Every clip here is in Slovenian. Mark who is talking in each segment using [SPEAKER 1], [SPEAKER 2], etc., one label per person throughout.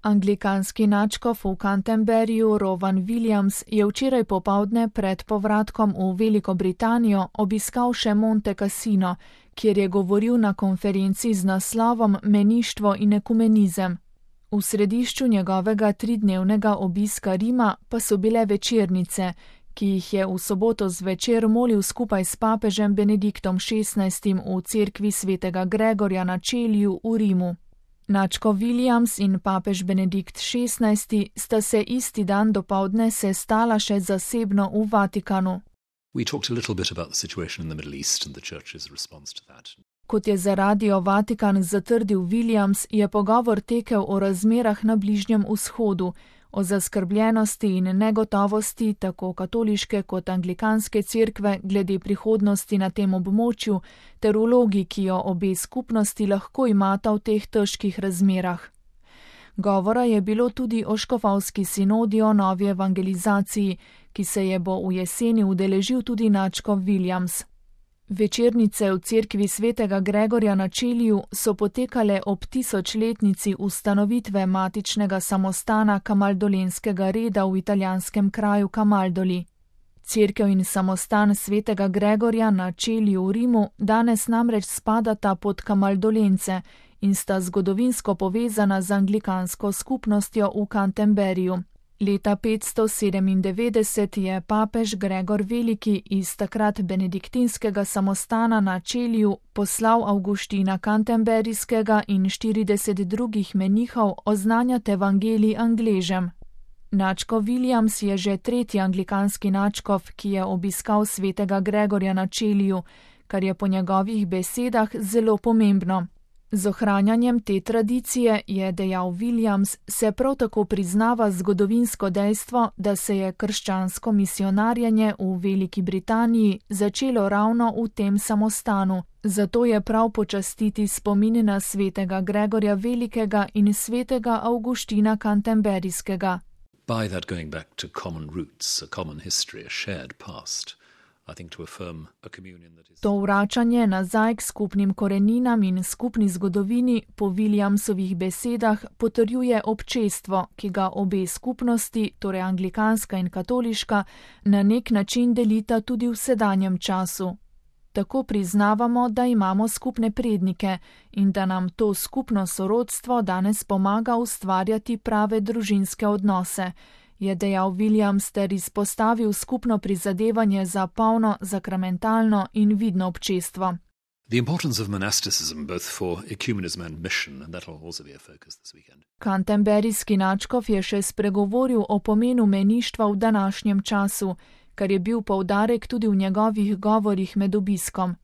[SPEAKER 1] Anglikanski nadškof v Canterburyju Rowan Williams je včeraj popoldne pred povratkom v Veliko Britanijo obiskal še Monte Cassino, kjer je govoril na konferenci z naslovom Meništvo in ekumenizem. V središču njegovega 3-dnevnega obiska Rima pa so bile večernice, ki jih je v soboto zvečer molil skupaj s papežem Benediktom XVI v cerkvi svetega Gregorja na Čeliju v Rimu. Nadškof Williams in papež Benedikt XVI sta se isti dan dopoldne sestala še zasebno v Vatikanu. Kot je za Radio Vatikan zatrdil Williams, je pogovor tekel o razmerah na Bližnjem vzhodu, o zaskrbljenosti in negotovosti tako katoliške kot anglikanske cerkve glede prihodnosti na tem območju ter vlogi, ki jo obe skupnosti lahko imata v teh težkih razmerah. Govora je bilo tudi o škofovski sinodi o novi evangelizaciji, ki se je bo v jeseni udeležil tudi nadškof Williams. Večernice v cerkvi svetega Gregorja na Čeliju so potekale ob 1000-letnici ustanovitve matičnega samostana Kamaldolenskega reda v italijanskem kraju Kamaldoli. Cerkev in samostan svetega Gregorja na Čeliju v Rimu danes namreč spadata pod Kamaldolence in sta zgodovinsko povezana z anglikansko skupnostjo v Canterburyju. Leta 597 je papež Gregor Veliki iz takrat benediktinskega samostana na Čeliju poslal Avguština Canterburyskega in 40 drugih menihov oznanjati evangelij Angležem. Nadškof Williams je že 3. anglikanski nadškof, ki je obiskal svetega Gregorja na Čeliju, kar je po njegovih besedah zelo pomembno. Z ohranjanjem te tradicije, je dejal Williams, se prav tako priznava zgodovinsko dejstvo, da se je krščansko misionarjenje v Veliki Britaniji začelo ravno v tem samostanu, zato je prav počastiti spomin na svetega Gregorja Velikega in svetega Avguština Canterburyskega.
[SPEAKER 2] By that going back to common roots, a common history, a shared past.
[SPEAKER 1] To vračanje nazaj k skupnim koreninam in skupni zgodovini po Williamsovih besedah potrjuje občestvo, ki ga obe skupnosti, torej anglikanska in katoliška, na nek način delita tudi v sedanjem času. Tako priznavamo, da imamo skupne prednike in da nam to skupno sorodstvo danes pomaga ustvarjati prave družinske odnose, je dejal Williams ter izpostavil skupno prizadevanje za polno, sakramentalno in vidno občestvo. Canterburyski nadškof je še spregovoril o pomenu meništva v današnjem času, kar je bil poudarek tudi v njegovih govorih med obiskom.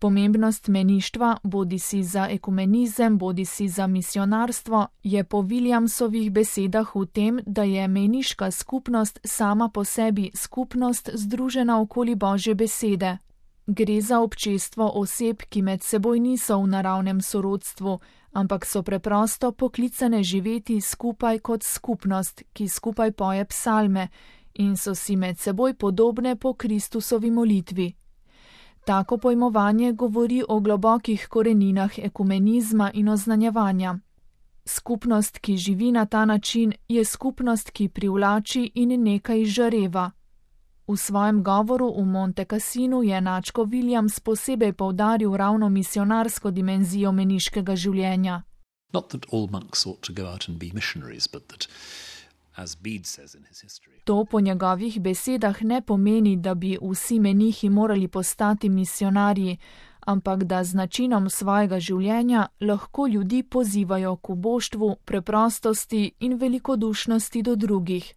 [SPEAKER 1] Pomembnost meništva, bodisi za ekumenizem, bodisi za misionarstvo, je po Williamsovih besedah v tem, da je meniška skupnost sama po sebi skupnost združena okoli Božje besede. Gre za občestvo oseb, ki med seboj niso v naravnem sorodstvu, ampak so preprosto poklicane živeti skupaj kot skupnost, ki skupaj poje psalme in so si med seboj podobne po Kristusovi molitvi. Tako pojmovanje govori o globokih koreninah ekumenizma in oznanjevanja. Skupnost, ki živi na ta način, je skupnost, ki privlači in nekaj žareva. V svojem govoru v Monte Cassinu je nadškof Williams posebej poudaril ravno misionarsko dimenzijo meniškega življenja. To po njegovih besedah ne pomeni, da bi vsi menihi morali postati misionarji, ampak da z načinom svojega življenja lahko ljudi pozivajo k uboštvu, preprostosti in velikodušnosti do drugih.